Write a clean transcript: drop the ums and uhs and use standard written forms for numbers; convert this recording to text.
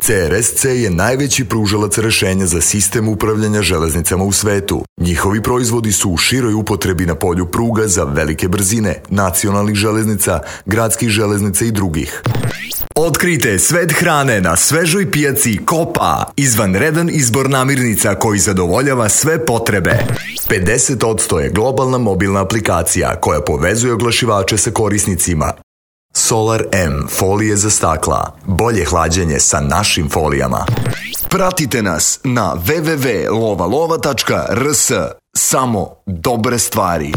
CRSC je najveći pružalac rešenja za sistem upravljanja železnicama u svetu. Njihovi proizvodi su u široj upotrebi na polju pruga za velike brzine, nacionalnih železnica, gradskih železnica i drugih. Otkrijte svet hrane na svežoj pijaci Kopa, izvanredan izbor namirnica koji zadovoljava sve potrebe. 50% je globalna mobilna aplikacija koja povezuje oglašivače sa korisnicima. Solar M folije za stakla. Bolje hlađenje sa našim folijama. Pratite nas na www.lovalova.rs. Samo dobre stvari.